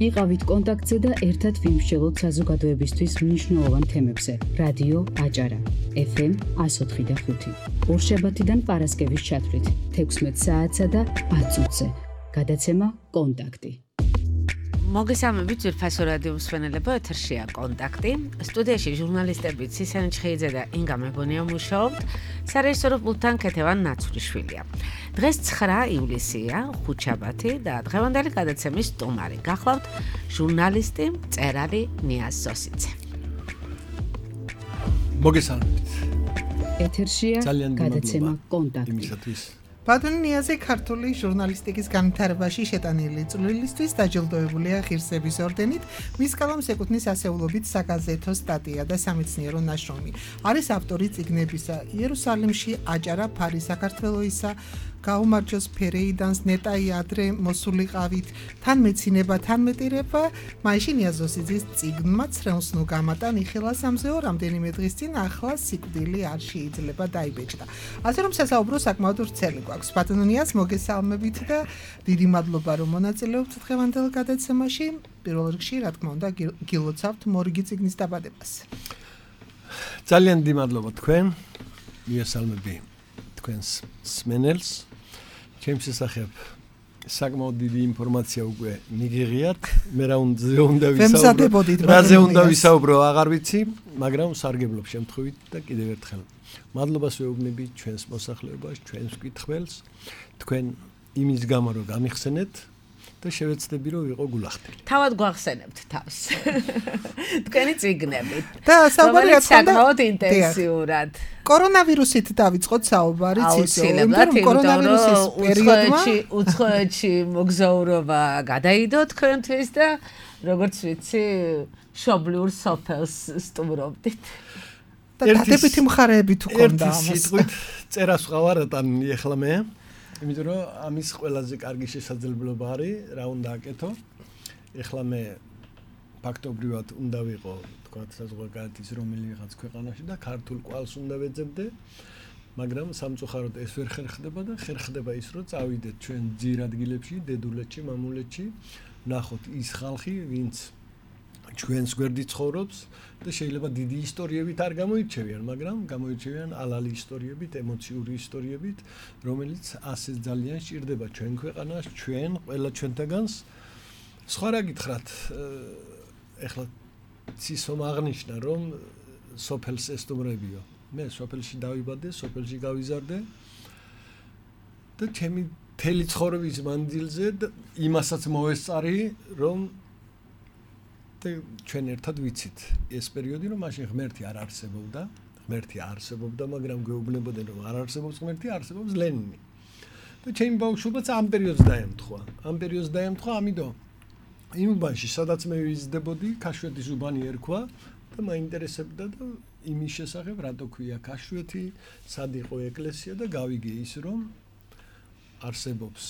იყავით კონტაქტზე და ერთად ვიმსჯელოთ საზოგადოებისთვის მნიშვნელოვან თემებზე. რადიო აჭარა, FM 104.5. ორშაბათიდან პარასკევის ჩათვლით 16 საათსა და 10 წუთზე. გადაცემა კონტაქტი. მოგესალმებით ძვირფასო რადიო მსმენელებო, ეთერშია კონტაქტი. სტუდიაში ჟურნალისტები ცისენ ჩხეიძე და ინგა მებონია მუშაობთ. სარეჟისორო პულტთან ქეთევან ნაცვლიშვილია. დღეს 9 ივლისია, ხუთშაბათი და დღევანდელი გადაცემის სტუმარი გახლავთ ჟურნალისტი, მწერალი ნიაზ ზოსიძე. მოგესალმებით. ეთერშია გადაცემა კონტაქტი. ბატონი ნიაზი ქართული ჟურნალისტიკის განვითარებაში შეტანილი წვლილისთვის დაჯილდოებულია ღირსების ორდენით, მის კალამს ეკუთვნის ასეულობით საგაზეთო სტატია და სამეცნიერო ნაშრომი. არის ავტორი წიგნებისა იერუსალიმში აჭარა ფარი საქართველოისა, გაუმარჯოს ფერეიდანს ნეტაი ადრე მოსულიყავით, თან მეცინება, თან მეტირება, მაიში ნიაზ ზოსიძის წიგნმა ცრემლს ნუ გამატა ნიხელა სამზეო რამდენიმე დღის წინ ახლა სიკვდილი არ შეიძლება დაიბეჭდა. ასე რომ სასაუბრო საკმაოდ ვრცელი გვაქვს. ბატონო ნიაზ, მოგესალმებით და დიდი მადლობა რომ მონაწილეობთ დღევანდელ გადაცემაში. პირველ რიგში, რა თქმა უნდა, გილოცავთ მორიგი წიგნის დაბადებას. ძალიან დიდი მადლობა თქვენ. მიესალმები თქვენს მსმენელს. ჩემს შესახებ საკმაოდ დიდი ინფორმაცია უკვე მიგიღიათ. მე რაზე უნდა ვისაუბრო, აღარ ვიცი, მაგრამ სარგებლობ შემთხვევით და კიდევ ერთხელ მადლობას ვეუბნები ჩვენს მოსახლეობას, ჩვენს კითხველს, თქვენ იმის გამო რომ გამიხსენეთ და შევეცდები რომ ვიყო გულახდელი. თავად გვახსენებთ თავს. თქვენი წიგნები. და საუბარი საკმაოდ ინტენსიურად. კორონავირუსით დავიწყოთ საუბარი აუცილებლად, კორონავირუსის პერიოდმა უცხოეთში მოგზაურობა გადაიდო თქვენთვის და როგორც ვიცი, მშობლიურ სოფელს სტუმრობდით. და დადებითი მხარეები თუ ქონდა ამას. სიტყვით წერას ვყავარატან ეხლა მე. იმიტომ რომ ამის ყველაზე კარგი შესაძლებლობა არის, რა უნდა აკეთო. ეხლა მე ფაქტობრივად უნდა ვიყო, თქვა საზღვარგარეთის რომელიღაც ქვეყანაში და ქართულ კვალს უნდა ვეძებდე, მაგრამ სამწუხაროდ ეს ვერ ხერხდება და ხერხდება ის, რომ წავიდეთ ჩვენ ძირ ადგილებში, დედულეთში, მამულეთში, ნახოთ ის ხალხი, ვინც ჩვენს გვერდით ცხოვრობს და შეიძლება დიდი ისტორიებით არ გამოირჩევიან, მაგრამ გამოირჩევიან ალალი ისტორიებით, ემოციური ისტორიებით, რომელიც ასე ძალიან სჭირდება ჩვენ ქვეყანას, ჩვენ ყველა ჩვენთაგანს. სხვა რა გითხრათ, ეხლა ცისომ აღნიშნა, რომ სოფელს ესტუმრებიო. მე სოფელში დავიბადე, სოფელში გავიზარდე და ჩემი მთელი ცხოვრების მანძილზე იმასაც მოესწარი, რომ ჩვენ ერთად ვიცით ეს პერიოდი, რომ მაშინ ღმერთი არ არსებობდა, მაგრამ გვეუბნებოდნენ, რომ არ არსებობს ღმერთი, არსებობს ლენინი. და ჩემი ბავშვობაც ამ პერიოდს დაემთხვა, ამიტომ იმ უბანში, სადაც მე ვიზრდებოდი, ქაშვეთის უბანი ერქვა და მაინტერესებდა და იმის შესახებ, რატო ქვია ქაშვეთი, სად იყო ეკლესია და გავიგე ის, რომ არსებობს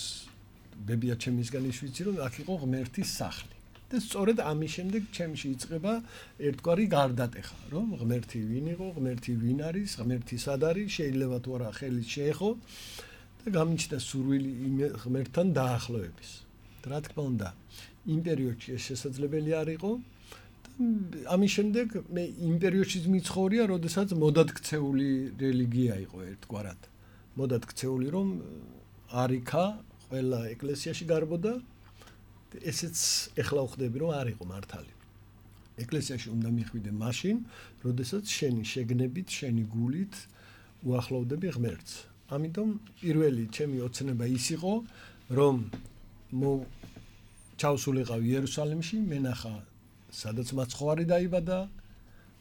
ბებია ჩემისგან ის ვიცი, რომ აქ იყო ღმერთის სახლი. და სწორედ ამის შემდეგ ჩემში იწყება ერთგვარი გარდატეხა, რომ ღმერთი ვინ იყო, ღმერთი ვინ არის, ღმერთი სად არის, შეიძლება თუ არა ხელით შეეხო და გამიჩნდა სურვილი ღმერთთან დაახლოების. რა თქმა უნდა, იმ პერიოდში ეს შესაძლებელი არ იყო და ამის შემდეგ მე იმ პერიოდშიც მიცხოვრია, როდესაც მოდადგცეული რელიგია იყო ერთგვარად. მოდადგცეული, რომ არიქა ყველა ეკლესიაში გარბოდა. ესეც ეხლა ვხვდები, რომ არ იყო მართალი. ეკლესიაში უნდა მიხვიდე მაშინ, როდესაც შენი შეგნებით, შენი გულით უახლოვდები ღმერთს. ამიტომ პირველი ჩემი ოცნება ის იყო, რომ ჩავსულიყავ იერუსალიმში, მენახა სადაც მაცხოვარი დაიბადა,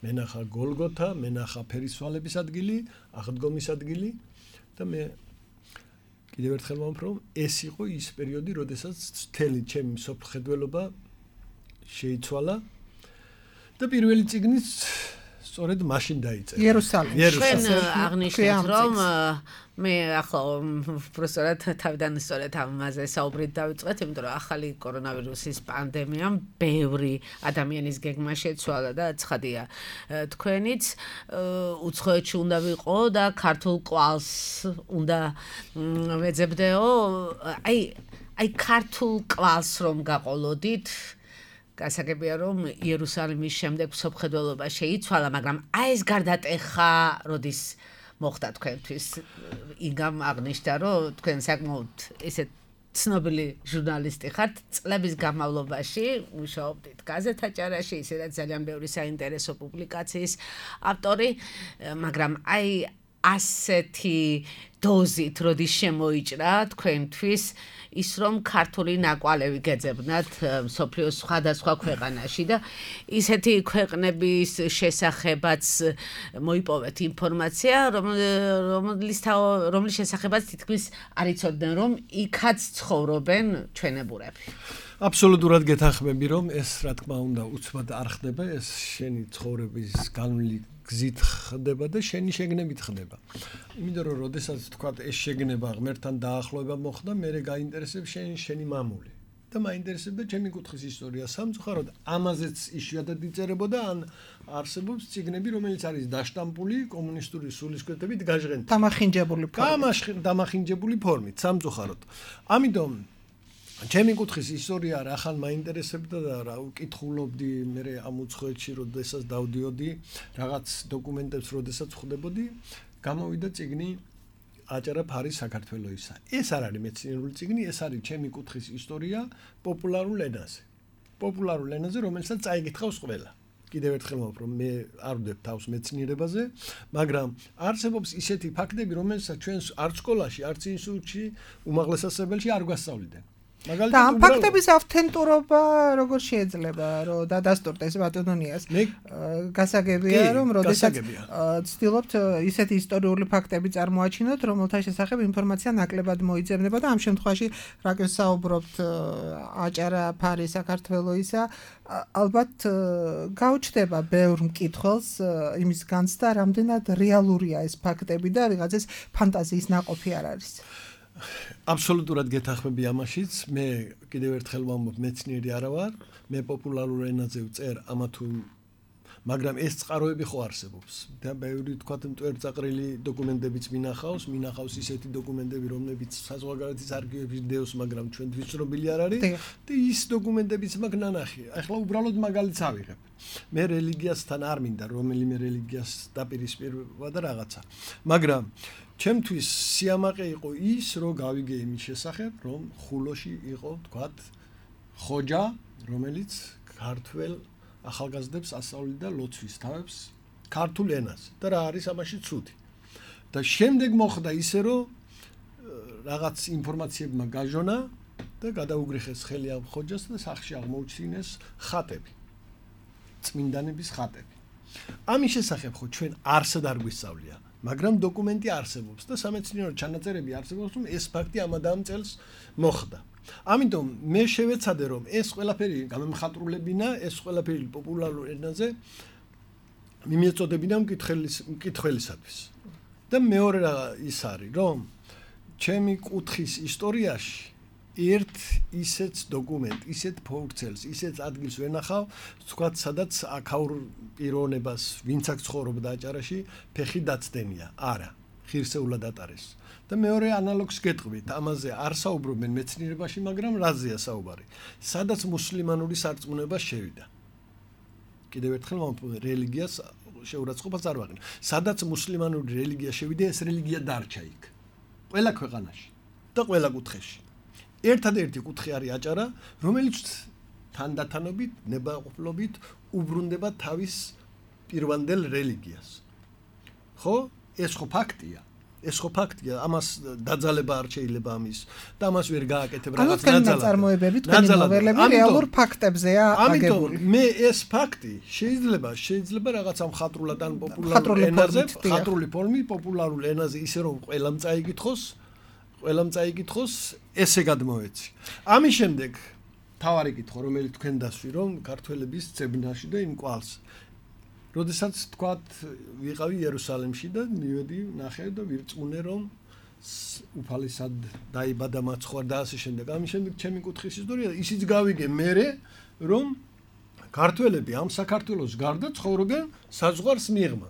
მენახა გოლგოთა, მენახა ფერისვალების ადგილი, აღდგომის ადგილი და მე კიდევ ერთხელ ვამბობ, რომ ეს იყო ის პერიოდი, როდესაც მთელი ჩემი სოფლხედველობა შეიცვალა და პირველი წიგნიც სწორედ მაშინ დაიწერა. იერუსალიმში. ჩვენ აღნიშნეთ, რომ მე ახლა უბრალოდ თავიდან სწორედ ამაზე საუბრით დავიწყეთ, იმიტომ რომ ახალი კორონავირუსის პანდემიამ ბევრი ადამიანის გეგმა შეცვალა და ცხადია. თქვენიც უცხოეთში უნდა ვიყო და ქართულ კვალს უნდა ვეძებდეო. აი ქართულ კვალს რომ გაყოლოდით, გასაგებია რომ იერუსალიმის შემდეგ მსოფლმხედველობა შეიცვალა, მაგრამ აი ეს გარდატეხა როდის მოხდა თქვენთვის? იგამ აღნიშნა რომ თქვენ საკმაოდ ესეთ ცნობილი ჟურნალისტი ხართ, წლების განმავლობაში მუშაობდით გაზეთაჭარაში, ისედაც ძალიან ბევრი საინტერესო პუბლიკაციის ავტორი, მაგრამ აი ასეთი დოზით როდის შემოიჭრა თქვენთვის ის რომ ქართული ნაკვალევი გეძებნათ მსოფლიოს სხვადასხვა ქვეყანაში და ისეთი ქვეყნების შესახებაც მოიპოვეთ ინფორმაცია, რომლის შესახებაც თითქმის არ იცოდნენ, რომ იქაც ცხოვრობენ ჩვენებურები. აბსოლუტურად გეთანხმები, რომ ეს რა თქმა უნდა უცბად არ ხდება, ეს შენი ცხოვრების განვლილი გზით ხდება და შენი შეგნებით ხდება. იმიტომ რომ როდესაც თქვა ეს შეგნება ღმერთთან დაახლოება მოხდა, მე გაინტერესებს შენი მამული. და მაინტერესებდა ჩემი კუთხის ისტორია. სამწუხაროდ ამაზეც იშვიათად იწერებოდა, ან არსებობს წიგნები, რომელიც არის დაშტამპული კომუნისტური სულისკვეთებით გაჟღენთი. დამახინჯებული ფორმით, სამწუხაროდ. ამიტომ ჩემი კუთხის ისტორია რახან მაინტერესებდა და რა ვკითხულობდი მე ამ უცხოეთში, როდესაც დავდიოდი, რაღაც დოკუმენტებს როდესაც ხვდებოდი, გამოვიდა წიგნი აჭარა ფარი საქართველოისა. ეს არ არის მეცნიერული წიგნი, ეს არის ჩემი კუთხის ისტორია პოპულარულ ენაზე. პოპულარულ ენაზე, რომელსაც წაიგითხავს ყველა. კიდევ ერთხელ ვამბობ, რომ მე არ ვდებ თავს მეცნიერებაზე, მაგრამ არსებობს ისეთი ფაქტები, რომელსაც ჩვენ არც სკოლაში, არც ინსტიტუტში, უმაღლეს სასწავლებელში არ გვასწავლდნენ. და ამ ფაქტების ავთენტურობა როგორ შეიძლება რომ დადასტურდეს ბატონონიას? გასაგებია რომ როდესაც ცდილობთ ისეთი ისტორიული ფაქტები წარმოაჩინოთ, რომელთა შესახებ ინფორმაცია ნაკლებად მოიძებნება და ამ შემთხვევაში რა ვსაუბრობთ აჭარა ფარი საქართველოისა, ალბათ გაუჩნდება ბევრ მკითხველს იმის განცდა, რამდენად რეალურია ეს ფაქტები და ვიღაცის ფანტაზიის ნაყოფი არ არის. აბსოლუტურად გეთანხმები ამაშიც. მე კიდევ ერთხელ ვამბობ, მეცნიერი არა ვარ, მე პოპულარულ ენაზე ვწერ ამა თუ მაგრამ ეს წყაროები ხო არსებობს და ბევრი თქვათ მტვერწაყრილი დოკუმენტებიც მინახავს ისეთი დოკუმენტები, რომლებიც საზღვარგარეთის არქივებში დევს, მაგრამ ჩვენთვის ცნობილი არ არის და ის დოკუმენტებიც მაქვს ნანახი. ახლა უბრალოდ მაგალითს ავიღებ. მე რელიგიასთან არ მინდა რომელიმე რელიგიას დაპირისპირება და რაღაცა, მაგრამ ჩემთვის სიამაყე იყო ის, რომ გავიგე იმის შესახებ, რომ ხულოში იყო თქვათ ხოჯა, რომელიც ქართველ ახალგაზრდებს ასწავლიდა ლოცვის თავებს ქართულ ენაზე და რა არის ამაში ცუდი. და შემდეგ მოხდა ისე, რომ რაღაც ინფორმაციებმა გაჟონა და გადაუგრიხეს ხელი ამ ხოჯას და სახში აღმოუჩინეს ხატები. წმინდანების ხატები. ამის შესახებ ხო ჩვენ არსად არ გვისწავლია, მაგრამ დოკუმენტი არსებობს და სამეცნიერო ჩანაწერები არსებობს, რომ ეს ფაქტი ამ ამ წელს მოხდა. ამიტომ მე შევეცადე, რომ ეს ყველაფერი გამემხატრულებინა, ეს ყველაფერი პოპულარულ ენაზე მიმეწოდებინა მკითხველისათვის. და მეორე რა ის არის, რომ ჩემი კუთხის ისტორიაში ერთ ისეთ დოკუმენტ, ისეთ ფურცელს, ისეთ ადგილს ვენახავ, თქვათ, სადაც აქაურ პიროვნებას, ვინც აქ ცხოვრობდა აჭარაში, ფეხი დაცდენია. არა, ღირსეულად ატარეს. და მეორე ანალოგს გეტყვით, ამაზე არ საუბრობენ მეცნიერებაში, მაგრამ რაზეა საუბარი? სადაც მუსლიმანური სარწმუნება შევიდა. კიდევ ერთხელ რელიგიას შეურაცხყოფას არ ვაყენებ. სადაც მუსლიმანური რელიგია შევიდა, ეს რელიგია დარჩა იქ. ყველა ქვეყანაში და ყველა კუთხეში. ერთადერთი კუთხე არის აჭარა, რომელიც თანდათანობით, ნებაყოფლობით უბრუნდება თავის პირვანდელ რელიგიას. ხო? ეს ხო ფაქტია. ამას დაძალება არ შეიძლება ამის და ამას ვერ გააკეთებ რაღაც ნაწილად. წარმოებები თქვენი ნოველები რეალურ ფაქტებზეა აგებული. ამიტომ მე ეს ფაქტი შეიძლება რაღაცა მხატვრულად ან პოპულარულ ენაზე, მხატვრული ფორმით, პოპულარულ ენაზე ისე რომ ყველამ წაიკითხოს, ესე გადმოვეცი. ამის შემდეგ თავარი კითხვა, რომელიც თქვენ დასვი, რომ ქართველების ძებნაში და იმ კვალს. როდესაც თქვათ ვიყავი იერუსალიმში და მივედი ნახე და ვირწმუნე, რომ უფალისად დაიბადა მაცხვარ და ასე შემდეგ. ამის შემდეგ ჩემი კუთხის ისტორია ისიც გავიგე მერე, რომ ქართველები ამ საქართველოს გარდა ცხოვრობენ საზღვარს მიღმა.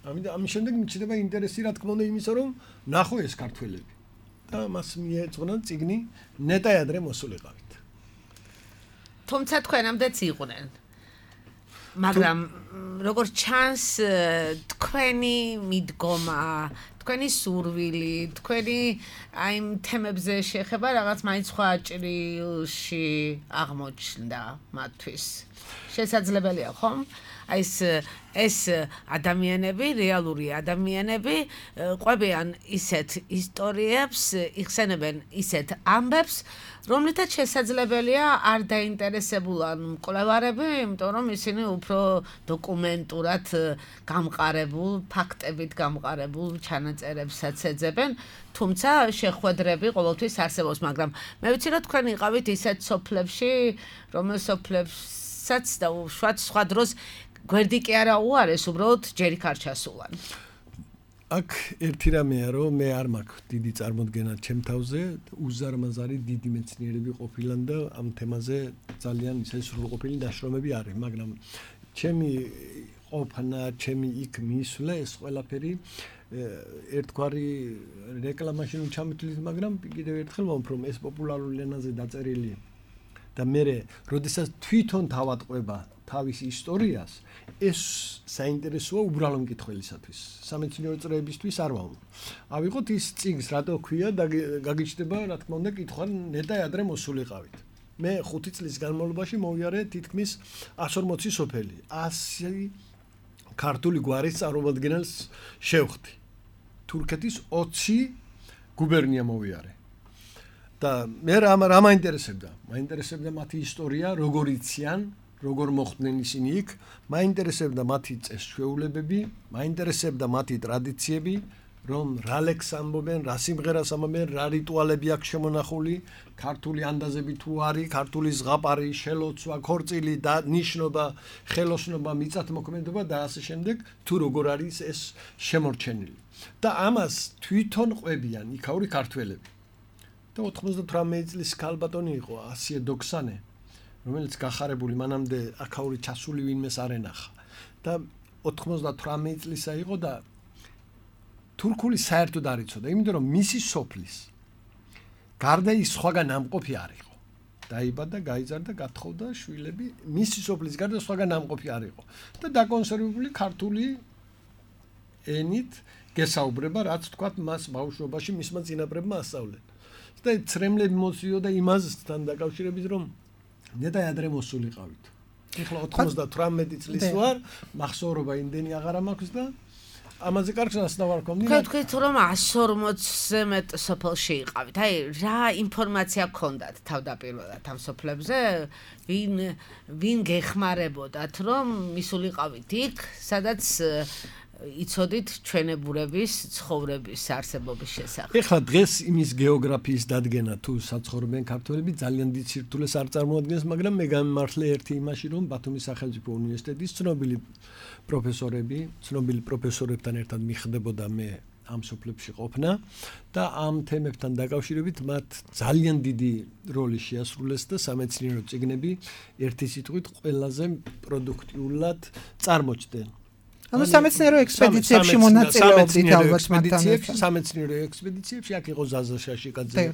ამის შემდეგ მიჩნდება ინტერესი, რა თქმა უნდა, იმისა, რომ ნახო ეს ქართველები. და მას მიეძღვნა წიგნი ნეტაი ადრე მოსულიყავით. თუმცა თქვენამდეც იყვნენ. მაგრამ როგორც ჩანს თქვენი მიდგომა, თქვენი სურვილი, თქვენი აი იმ თემებზე შეხება რაღაც მაინც სხვა ჭრილში აღმოჩნდა მათთვის. შესაძლებელია, ხომ? აი ეს ადამიანები, რეალური ადამიანები ყვებიან ისეთ ისტორიებს, იხსენებენ ისეთ ამბებს, რომლითაც შესაძლებელია არ დაინტერესებულან მკვლევარები, იმიტომ რომ ისინი უფრო დოკუმენტურად გამყარებულ, ფაქტებით გამყარებულ ჩანაწერებსაც ეძებენ, თუმცა შეხვედრები ყოველთვის არსებობს, მაგრამ მე ვიცი რომ თქვენ იყავით ისეთ სოფლებში, რომელ სოფლებსაც და სხვა დროს გვერდი კი არა უარეს, უბრალოდ ჯერი არ ჩასულან. აქ ერთი რამეა, რომ მე არ მაქვს დიდი წარმოდგენა ჩემ თავზე, უზარმაზარი დიდი მეცნიერები ყოფილან და ამ თემაზე ძალიან ისე სრულყოფილი დაშრომები არის, მაგრამ ჩემი ყოფნა, ჩემი იქ მისვლა ეს ყველაფერი ერთგვარი რეკლამაში ჩამოთვლით, მაგრამ კიდევ ერთხელ ვამბობ, რომ ეს პოპულარული ენაზე დაწერილი და მე როდესაც თვითონ თავატყვება თავის ისტორიას, ეს საინტერესოა უბრალო მკითხველისათვის. სამეცნიერო წრეებისთვის არ ვამბობ. ავიღოთ ის წიგნს, რატო ქვია და გაგიჩნდება, რა თქმა უნდა, კითხვა ნეტა ადრე მოსულიყავით. მე 5 წლის განმავლობაში მოვიარე თითქმის 140 სოფელი. 100 ქართული გვარის წარმომადგენელს შევხვდი. თურქეთის 20 გუბერნია მოვიარე. და მე რა მაინტერესებდა? მაინტერესებდა მათი ისტორია, როგორ იციან, როგორ მოხვდნენ ისინი იქ, მაინტერესებდა მათი წესჩვეულებები, მაინტერესებდა მათი ტრადიციები, რომ რა ლექს ამბობენ, რა სიმღერას ამბობენ, რა რიტუალები აქვს შემონახული, ქართული ანდაზები თუ არის, ქართული ზღაპარი, შელოცვა, ქორწილი და ნიშნობა, ხელოსნობა, მიწათმოქმედება და ასე შემდეგ, თუ როგორ არის ეს შემორჩენილი. და ამას თვითონ ყვებიან იქაური ქართველები. და 98 წლის ქალბატონი იყო ასიე დოქსანე, რომელიც გახარებული მანამდე აქაური ჩასული ვინმეს არ ენახა და 98 წლისა იყო და თურქული საერთოდ არ იცოდა, იმიტომ რომ მისი სოფლის გარდა ის სხვაგან ამყოფი არ იყო. დაიბადა, გაიზარდა, გათხოვდა შვილები, მისი სოფლის გარდა სხვაგან ამყოფი არ იყო და დაკონსერვებული ქართული ენით გესაუბრება, რაც თქვათ მას ბავშვობაში მისმა წინაპრებმა ასწავლენ. და ცრემლები მოსიოდა იმასთან დაკავშირებით, რომ ნეტა ადრე მოსულიყავით. ეხლა 98 წლის ვარ, მახსოვრობა იმდენი აღარ მაქვს და ამაზე კარგს ასნავარ გქონდი. თქვით რომ 140-ზე მეტ სოფელში იყავით. აი, რა ინფორმაცია გქონდათ თავდაპირველად ამ სოფლებზე? ვინ გეხმარებოდათ, რომ მისულიყავით იქ, სადაც იცოდით ჩვენებურების ცხოვრების არსებობის შესახებ. ეხლა დღეს იმის გეოგრაფიის დადგენა თუ საცხოვრებენ ქართველები ძალიან დიდ სირთულეს არ წარმოადგენს, მაგრამ მე გამიმართლე ერთი იმაში, რომ ბათუმის სახელმწიფო უნივერსიტეტის ცნობილი პროფესორებთან ერთად მიხდებოდა მე ამ სოფლებში ყოფნა და ამ თემებთან დაკავშირებით მათ ძალიან დიდი როლი შეასრულეს და სამეცნიერო წიგნები ერთი სიტყვით ყველაზე პროდუქტიულად წარმოჩდნენ. ანუ სამეცნიერო ექსპედიციებში მონაწილეობდით ალბათ მათთან. სამეცნიერო ექსპედიციებში აქ იყო ზაზა შაშიკაძე,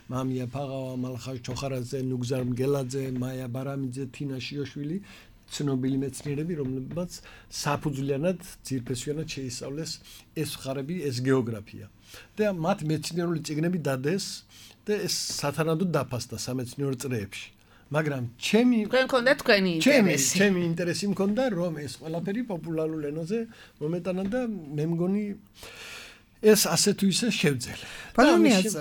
მამია ფაღავა, მალხაზ ჩოხარაძე, ნუგზარ მგელაძე, მაია ბარამიძე, თინა შიოშვილი, ცნობილი მეცნიერები, რომლებმაც საფუძვლიანად, ძირფესვიანად შეისწავლეს ეს მხარები, ეს გეოგრაფია. და მათ მეცნიერული წიგნები დადეს და ეს სათანადოდ დაფასდა სამეცნიერო წრეებში. მაგრამ ჩემი ინტერესი მქონდა, რომ ეს ყველაფერი პოპულარულ ენაზე მომეტანა და მე მგონი ეს ასე თუ ისე შევძელე. ბატონიაც,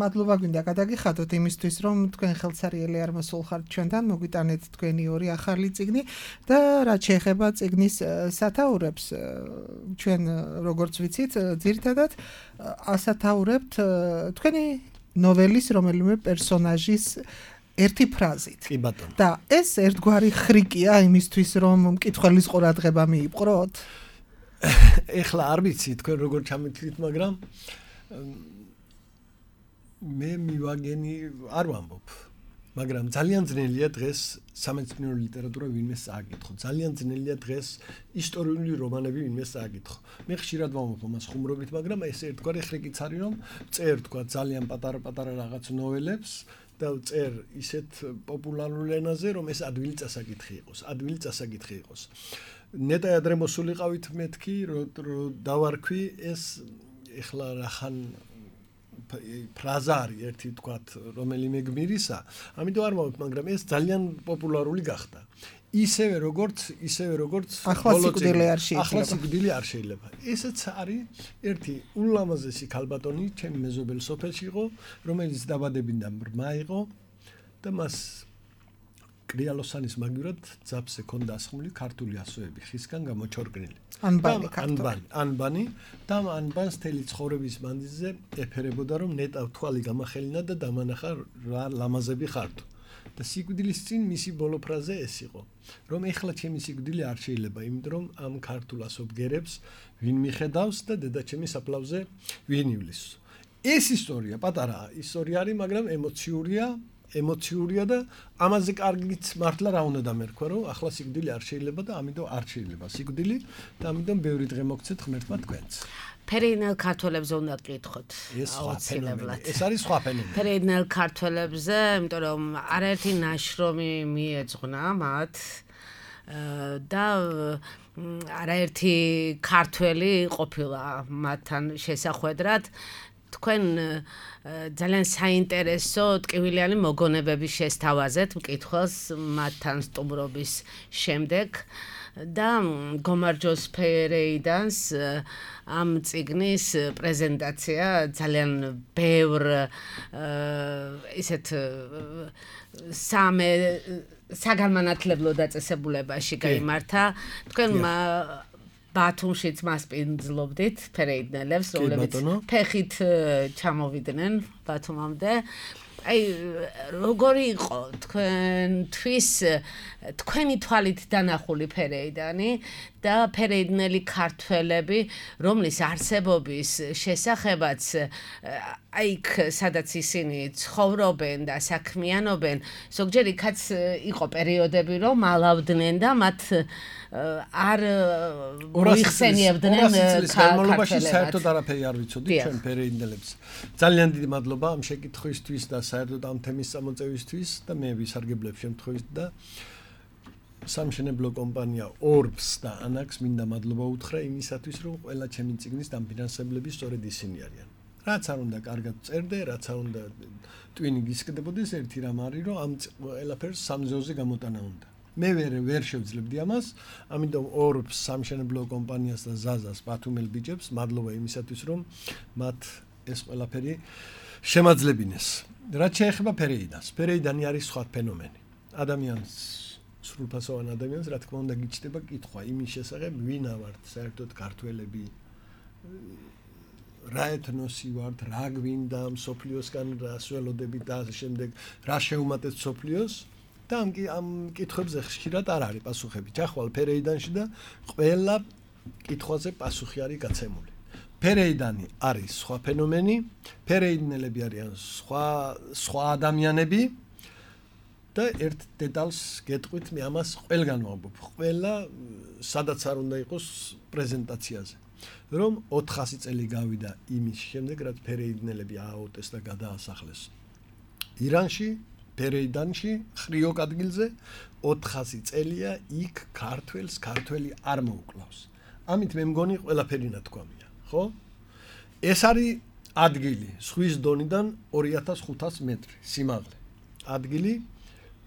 მადლობა გვინდა გადაგიხადოთ იმისთვის, რომ თქვენ ხელსარიელი არ მოსულხართ ჩვენთან, მოგვიტანეთ თქვენი ორი ახალი წიგნი და რაც შეეხება წიგნის სათაურებს, ჩვენ როგორც ვიცით, ძირითადად ასათაურებთ თქვენი ნოველის რომელიმე პერსონაჟის ერთი ფრაზით. კი ბატონო. და ეს ერთგვარი ხრიკია იმისთვის, რომ მკითხველის ყურადღება მიიპყროთ? ეხლა არ ვიცი თქვენ როგორ ჩამეთვლით, მაგრამ მე მივაგენი არ ვამბობ. მაგრამ ძალიან ძნელია დღეს სამეცნიერო ლიტერატურა ვინმე სააკითხო. ძალიან ძნელია დღეს ისტორიული რომანები ვინმე სააკითხო. მე ხშირად ვამბობ ამას ხუმრობით, მაგრამ ეს ერთგვარი ხრიკიც არის, რომ წერ თქვა ძალიან პატარა-პატარა რაღაც ნოველებს და წერ ისეთ პოპულარულ ენაზე, რომ ეს ადვილი წასაკითხი იყოს. ნეტა ადრე მოსულიყავით მეთქი, რომ დავარქვი ეს ეხლა რახან ფრაზა არის ერთი თქვათ, რომელიმე გმირისა, ამიტომ არ მოვით, მაგრამ ეს ძალიან პოპულარული გახდა. ისევე როგორც ახლა სიკვდილი არ შეიძლება. ესეც არის ერთი ულამაზესი ქალბატონი, ჩემი მეზობელი სოფელში იყო, რომელიც დაბადებიდან ბრმა იყო და მას კრიალოსანის მაგივრად ძაბზე ჰქონდა ასხმული ქართული ასოები, ხისგან გამოჩორკნილი. ანბანი და ანბანს თელი ცხოვრების მანძილზე ეფერებოდა, რომ ნეტავ თვალი გამახელინა და დამანახა რა ლამაზები ხართო. და სიკვდილის წინ მისი ბოლო ფრაზე ეს იყო, რომ ეხლა ჩემი სიკვდილი არ შეიძლება, იმიტომ რომ ამ ქართულ ასობგერებს ვინ მიხედავს და დედაჩემი საფლავზე ვინ ივლის. ეს ისტორია პატარაა, ისტორია არის, მაგრამ ემოციურია და ამაზე კარგიც მართლა რა უნდა დამერქვა, რომ ახლა სიკვდილი არ შეიძლება და ამიტომ არ შეიძლება სიკვდილი და ამიტომ ბევრი დღე მოგცეთ ღმერთმა თქვენს. ფერეიდნელ ქართველებზე უნდა გკითხოთ. ეს არის სხვა ფენომენი. ფერეიდნელ ქართველებზე, იმიტომ რომ არაერთი ნაშრომი მიეძღვნა მათ და არაერთი ქართველი ყოფილა მათთან შესახვედრად. თქვენ ძალიან საინტერესო ტკივილიანი მოგონებები შესთავაზეთ მკითხველს მათთან სტუმრობის შემდეგ და გომარჯოს ფერეიდანს ამ წიგნის პრეზენტაცია ძალიან ბევრ ისეთ საგანმანათლებლო დაწესებულებაში გაიმართა. თქვენ ბათუმშიც მასპინძლობდით ფერეიდნელებს, რომლებიც ფეხით ჩამოვიდნენ ბათუმამდე. აი, როგორი იყო თქვენი თვალით დანახული ფერეიდანი და ფერეიდნელი ქართველები, რომლის არსებობის შესახებაც აიქ სადაც ისინი ცხოვრობენ და საქმიანობენ, ზოგჯერ იქაც იყო პერიოდები, რომ ალავდნენ და მათ არ მოიხსენიებდნენ ქართველებად. საერთოდ არაფერი არ ვიცოდი ჩვენ ფერეიდნელებს. ძალიან დიდი მადლობა ამ შეკითხვისთვის და საერთოდ ამ თემის წამოწევისთვის და მე ვისარგებლებ შემთხვევით და სამშენებლო კომპანია Orbs და Anax მინდა მადლობა უთხრა იმისათვის, რომ ყველა ჩემი წიგნის დამფინანსებლები სწორედ ისინი არიან. რაც არ უნდა კარგად წერდე, რაც არ უნდა ტვინი გისკდებოდეს, ერთი რამ არის, რომ ამ ყველაფერს სამზეოზე გამოტანა უნდა. მე ვერ შევძლებდი ამას, ამიტომ Orbs სამშენებლო კომპანიას და Zazas ბათუმელ ბიჭებს მადლობა იმისათვის, რომ მათ ეს ყველაფერი შემაძლებინეს. რაც შეეხება ფერეიდანს, ფერეიდანი არის სხვა ფენომენი. ადამიანს სრულფასოვან ადამიანს, რა თქმა უნდა, გიჩნდება კითხვა იმის შესახებ, ვინა ვართ საერთოდ ქართველები, რა ეთნოსი ვართ, რა გვინდა მსოფლიოსგან რას ველოდებით და ასე შემდეგ, რა შეუმატეთ მსოფლიოს და ამ კითხვებზე ხშირად არ არის პასუხები. ჩახვალ ფერეიდანში და ყველა კითხვაზე პასუხი არის გაცემული. ფერეიდანი არის სხვა ფენომენი, ფერეიდნელები არიან სხვა ადამიანები და ერთ დეტალს გეტყვით, მე ამას ყველგან ვამბობ, ყველა სადაც არ უნდა იყოს პრეზენტაციაზე, რომ 400 წელი გავიდა იმის შემდეგ, რაც ფერეიდნელები ააუტეს და გადაასახლეს ირანში, ფერეიდანში, ხრიოკ ადგილზე 400 წელია იქ ქართველი არ მოუკლავს. ამით მე მგონი ყველაფერი ნათქვამია, ხო? ეს არის ადგილი ზღვის დონიდან 2500 მეტრი სიმაღლე. ადგილი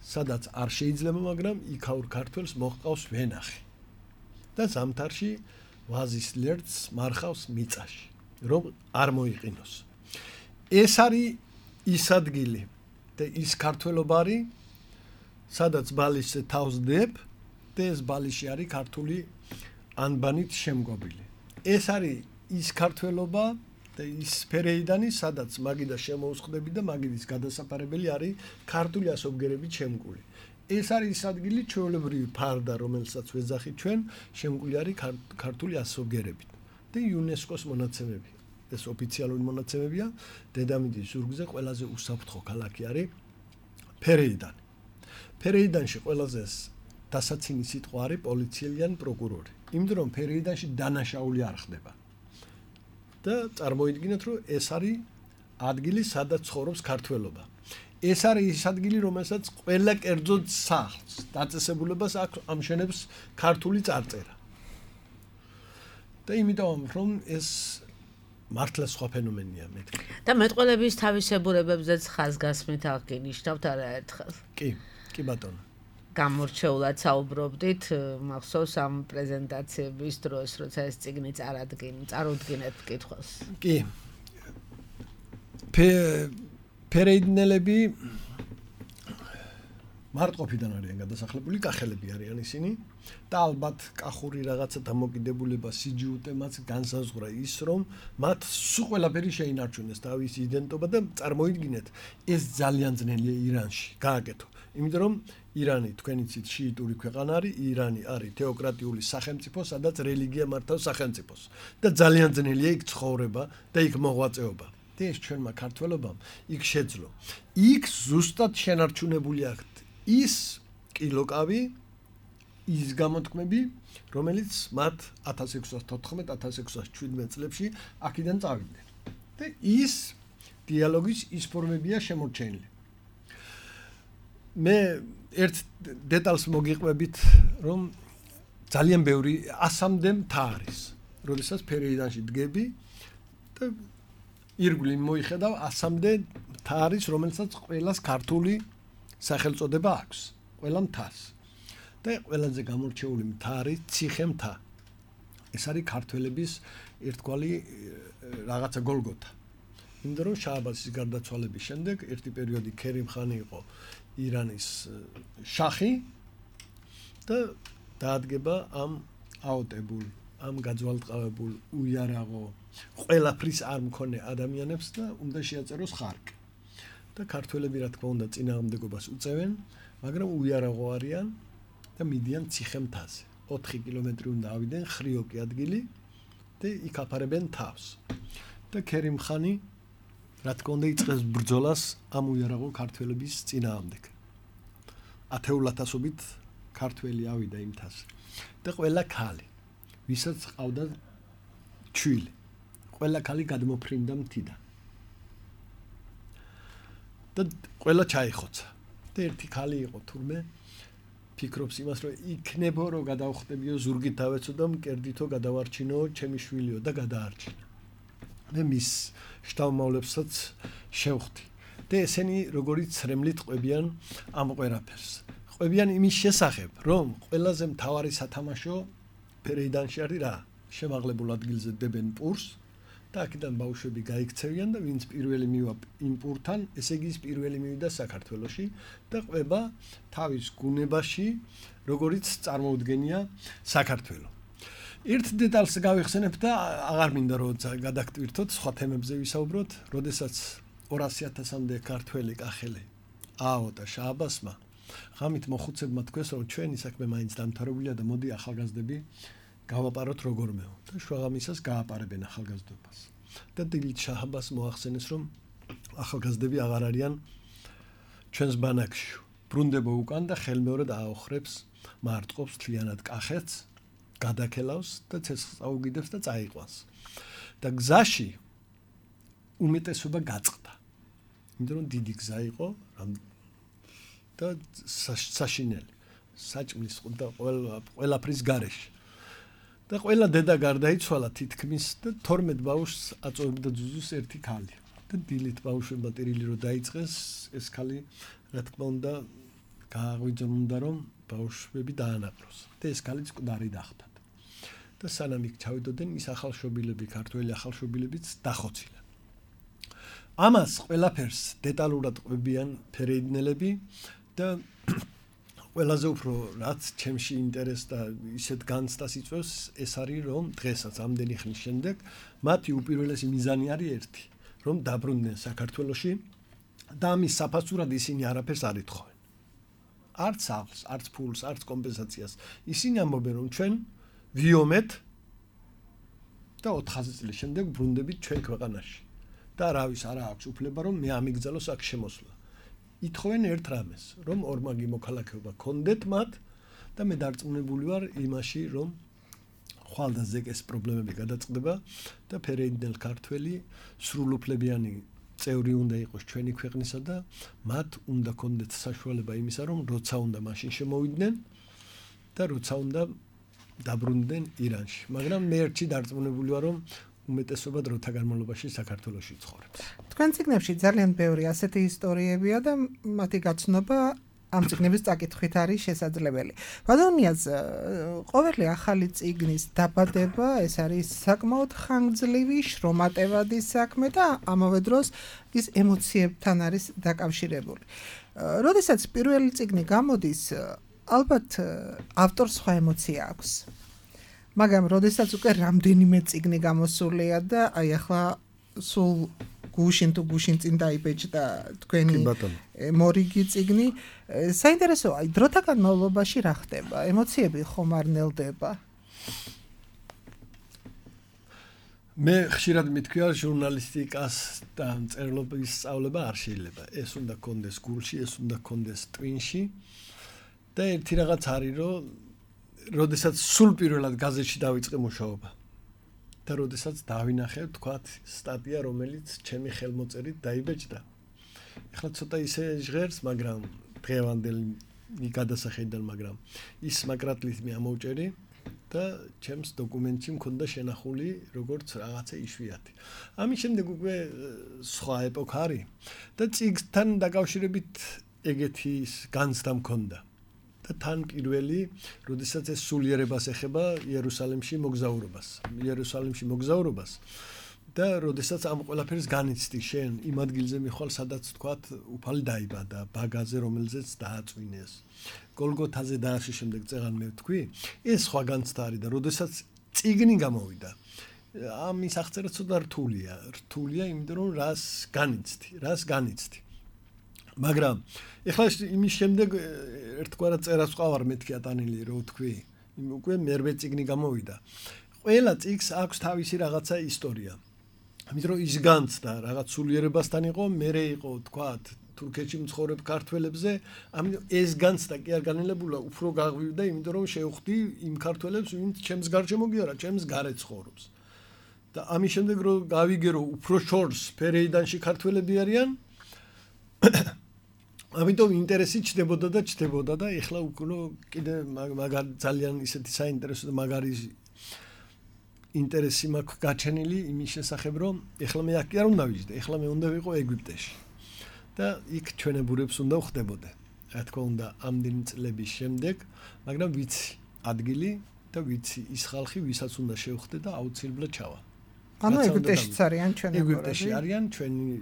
სადაც არ შეიძლება, მაგრამ იქაურ ქართველს მოჰყავს ვენახი. და ზამთარში ვაზის ლერწს მარხავს მიწაში, რომ არ მოიყინოს. ეს არის ის ადგილი და ის ქართველობა არის, სადაც ბალიშზე თავს დებ და ეს ბალიში არის ქართული ანბანით შემგობილი. ეს არის ის ქართველობა და ის ფერეიდანი, სადაც მაგიდა შემოუსხდები და მაგიდის გადასაფარებელი არის ქართული ასობგერებით შემკული. ეს არის ის ადგილი ჩვეულებრივი ფარდა, რომელსაც ვეძახით ჩვენ, შემკული არის ქართული ასობგერებით და იუნესკოს მონაცემები. ეს ოფიციალური მონაცემებია, დედამიწის ზურგზე ყველაზე უსაფრთხო ქალაქი არის ფერეიდანი. ფერეიდანში ყველაზე დასაცინი სიტყვა არის პოლიციელი ან პროკურორი. იმიტომ რომ ფერეიდანში დანაშაული არ ხდება. და წარმოიდგინეთ, რომ ეს არის ადგილი, სადაც ცხოვრობს ქართველობა. ეს არის ის ადგილი, რომელსაც ყველა კერძო სახლს დაწესებულებას აქვს ამშვენებს ქართული წარწერა. და იმიტომ რომ ეს მართლა სხვა ფენომენია მეთქი. და მეტყველების თავისებურებებზეც ხაზგასმით აღგინიშნავთ არაერთხელ. კი ბატონო. გამორჩეულად საუბრობდით, მახსოვს ამ პრეზენტაციების დროს, როცა ეს წიგნი წარუდგინეთ კითხვას. კი. ფერეიდნელები მარტყოფიდან არიან გადასახლებული, კახელები არიან ისინი და ალბათ კახური რაღაცა დამოკიდებულება სიჯუტე მათ განსაზღვრა ის, რომ მათ სულ ყველაფერი შეინარჩუნეს თავის იდენტობა და წარმოიდგინეთ, ეს ძალიან ძნელია ირანში გააკეთო. იმიტომ რომ ირანი თქვენი ცით შიიტური ქვეყანა არის, ირანი არის თეოკრატიული სახელმწიფო, სადაც რელიგია მართავს სახელმწიფოს და ძალიან ძნელია იქ ცხოვრება და იქ მოღვაწეობა. და ეს ჩვენმა ქართველობამ იქ შეძლო. იქ ზუსტად შენარჩუნებული აქვთ ის კილოკავი, ის გამოთქმები, რომელიც მათ 1614-1617 წლებში აქედან წავიდნენ. და ის დიალოგის ის ფორმებია შემორჩენილი. მე ერთ დეტალს მოგიყვებით, რომ ძალიან ბევრი 100-მდე მთა არის. როდესაც ფერეიდანში დგები და ირგვლივ მოიხედავ 100-მდე მთა არის, რომელსაც ყველას ქართული სახელწოდება აქვს, ყველა მთას. და ყველაზე გამორჩეული მთა არის ციხე მთა. ეს არის ქართველების ერთგვარი რაღაცა გოლგოთა. იმიტომ რომ შააბასის გარდაცვალების შემდეგ ერთი პერიოდი ქერიმ ხანი იყო ირანის შახი და დაადგება ამ აოტებულ, ამ გაძვალტყავებულ, უიარაღო, ყველაფრის არ მქონე ადამიანებს და უნდა შეაწეროს ხარკი. და ქართველები რა თქმა უნდა წინააღმდეგობას უწევენ, მაგრამ უიარაღო არიან და მიდიან ციხე მთაზე. 4 კილომეტრი უნდა ავიდნენ, ხრიოკი ადგილი და იქ აფარებენ თავს. და ქერიმ ხანი რა თქმა უნდა იწყებს ბრძოლას ამ უიარაღო ქართველების წინააღმდეგ. 10,000-ობით ქართველი ავიდა იმ თასზე. და ყველა ქალი, ვისაც ყავდა ჩვილი, ყველა ქალი გადმოფრინდა მთიდან. და ყველა ჩაიხოცა. და ერთი ქალი იყო თურმე ფიქრობს იმას, რომ იქნებო რომ გადავხდებიო ზურგით დავეცო და მკერდითო გადავარჩინო ჩემი შვილიო და გადაარჩინა. მე მის შთამომავლებსაც შევხვდი. და ესენი როგორი ცრემლით ყვებიან ამ ყველაფერს. ყვებიან იმის შესახებ, რომ ყველაზე მთავარი სათამაშო ფერეიდანში არის რა? შემაღლებულ ადგილზე დებენ პურს და აქედან ბავშვები გაიქცევიან და ვინც პირველი მივა იმ პურთან, ესე იგი ის პირველი მივიდა საქართველოში და ყვება თავის გუნებაში, როგორიც წარმოუდგენია საქართველო. ერთ დეტალს გავიხსენებ და აღარ მინდა რომ გადაგტვირთოთ, სხვა თემებზე ვისაუბროთ, როდესაც 200,000-მდე ქართველი კახელი ააოდა შააბასმა, ღამით მოხუცებმა თქვეს, რომ ჩვენი საქმე მაინც დამთავრებულია და მოდი ახალგაზრდები გავაპაროთ როგორმეო და შუაღამისას გააპარებენ ახალგაზრდობას. და დილით შააბას მოახსენეს, რომ ახალგაზრდები აღარ არიან ჩვენს ბანაკში. ბრუნდება უკან და ხელმეორედ აოხრებს, მარტყობს თლიანად კახეთს, გადაქელავს და ცეცხლს აუგიდებს და წაიყვანს. და გზაში უმეტესობა გაწყდა. იმიტომ რომ დიდი გზა იყო და საშინელი, საჭმლის და ყველაფრის გარეშე. და ყველა დედა გარდაიცვალა თითქმის და 12 ბავშვს აწოვებდა ძუძუს ერთი ქალი. და დილით ბავშვებმა ტირილი რო დაიწყეს, ეს ქალი რა თქმა უნდა გააღვიძნდა რომ ბავშვები დაანაყროს. და ეს ქალიც მკვდარი დახვდათ. და სანამ იქ ჩავიდოდნენ, ის ახალშობილები, ქართველი ახალშობილებიც დახოცილან. ამას ყველაფერს დეტალურად ყვებიან ფერეიდნელები და ყველაზე უფრო რაც ჩემში ინტერესს და ისეთ განცდას იწვევს, ეს არის რომ დღესაც ამდენი ხნის შემდეგ მათი უპირველესი მიზანი არის ერთი, რომ დაბრუნდნენ საქართველოში და ამის საფასურად ისინი არაფერს არ ეთხოვენ. არც სახლს, არც ფულს, არც კომპენსაციას. ისინი ამბობენ რომ ჩვენ ვიომეთ და 400 წლის შემდეგ ბრუნდებით ჩვენ ქვეყანაში. და რავის არა აქვს უფლება რომ მე ამიგზავნოს აქ შემოსვლა. ითხოვენ ერთ რამეს, რომ ორმაგი მოქალაქეობა კონდეთ მათ და მე დარწმუნებული ვარ იმაში, რომ ხვალდაზეკ ეს პრობლემები გადაწყდება და ფერეიდნელ ქართველი სრულუფლებიანი წევრი უნდა იყოს ჩვენი ქვეყნისა და მათ უნდა კონდეთ საშუალება იმისა, რომ როცა უნდა მაშინ შემოვიდნენ და როცა უნდა დაბრუნდნენ ირანში. მაგრამ მე ერთში დარწმუნებული ვარ, რომ უმეტესობა დროთა განმავლობაში საქართველოში ცხოვრობს. თქვენ ციგნებში ძალიან ბევრი ასეთი ისტორიებია და მათი გაცნობა ამ ციგნების წაკითხვით არის შესაძლებელი. ბატონიას ყოველი ახალი ციგნის დაბადება ეს არის საკმაოდ ხანგრძლივი, შრომატევადი საქმე და ამავე დროს ის ემოციებთან არის დაკავშირებული. როდესაც პირველი ციგნი გამოდის, ალბათ ავტორს სხვა ემოცია აქვს. მაგრამ როდესაც უკვე რამდენიმე ციგნი გამოსულია და აი ახლა სულ გუშინ წინ დაიბეჭდა თქვენი მორიგი ციგნი, საინტერესოა, აი დროთა განმავლობაში რა ხდება? ემოციები ხომ არ ნელდება? მე ხშირად მithქვია, ჟურნალისტიკას და მწერლობის სწავლება არ შეიძლება. ეს უნდა კონდეს გულში, ეს უნდა კონდეს ტვინში და ერთი რაღაც არის, რომ როდესაც სულ პირველად გაზეთში დავიწყე მუშაობა და როდესაც დავინახე, თქვათ, სტატია, რომელიც ჩემი ხელმოწერით დაიბეჭდა. ეხლა ცოტა ისე ჟღერს, მაგრამ დღევანდელი გადასახედიდან, მაგრამ ის მაგრატლით მე ამოვჭერი და ჩემს დოკუმენტში მქონდა შენახული როგორც რაღაცა იშვიათი. ამის შემდეგ უკვე სხვა ეპოქა არის და ციგნთან დაკავშირებით ეგეთი განცდა მქონდა. და თან პირველი, როდესაც ეს სულიერებას ეხება იერუსალიმში მოგზაურობას და როდესაც ამ ყველაფერს განიცდი შენ იმ ადგილზე მიხვალ, სადაც თქვათ უფალი დაიბადა, ბაგაზე, რომელზეც დააწვინეს, გოლგოთაზე და ასე შემდეგ წეღან მე ვთქვი, ეს სხვა განცდა არის და როდესაც ციგნი გამოვიდა, ამის აღწერა ცოტა რთულია, იმიტომ რომ რას განიცდი. მაგრამ ეხლა იმის შემდეგ ერთგვარად წერას ვყავარ მეთქი ატანილი რო ვთქვი, უკვე მერვე ციგნი გამოვიდა. ყველა ციგს აქვს თავისი რაღაცა ისტორია. ამიტომ რომ ის განცდა რაღაც სულიერებასთან იყო, მერე იყო თქვათ თურქეთში მცხოვრებ ქართველებზე, ამიტომ ეს განცდა კი არ განელებულა, უფრო გაღვივდა, იმიტომ რომ შევხვდი იმ ქართველებს, ვინც ჩემს გარშემო კი არა, ჩემს გარეთ ცხოვრობს. და ამის შემდეგ რომ გავიგე, რომ უფრო შორს ფერეიდანში ქართველები არიან, ამიტომ ინტერესი ჩდებოდა და ეხლა უკვე კიდე მაგარი ძალიან ისეთი საინტერესო და მაგარი ინტერესი მაქვს გაჩენილი იმის შესახებ, რომ ეხლა მე აქ კი არ უნდა ვიждდე, ეხლა მე უნდა ვიყო ეგვიპტეში. და იქ ჩვენებურებს უნდა ვხდებოდე. რა თქმა უნდა, ამდენი წლების შემდეგ, მაგრამ ვიცი ადგილი და ვიცი ის ხალხი, ვისაც უნდა შევხვდე და აუცილებლად ჩავა. ანუ ეგვიპტეშიც არიან ჩვენებურები. ეგვიპტეში არიან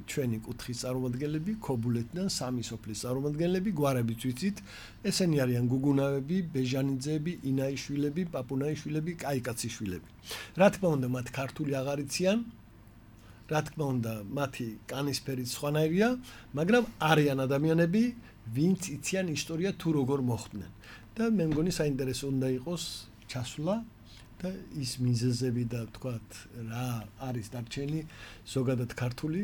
ჩვენი კუთხის წარმომადგენლები, ქობულეთიდან სამი სოფლის წარმომადგენლები, გვარებიც ვიცით. ესენი არიან გუგუნავები, ბეჟანიძეები, ინაიშვილები, პაპუნაიშვილები, კაიკაციშვილები. რა თქმა უნდა, მათ ქართული აღარ იციან. რა თქმა უნდა, მათი კანისფერიც სხვანაირია, მაგრამ არიან ადამიანები, ვინც იციან ისტორია თუ როგორ მოხდნენ. და მე მგონი საინტერესო უნდა იყოს ჩასვლა და ის მიზეზები და თქვათ რა არის დარჩენილი ზოგადად ქართული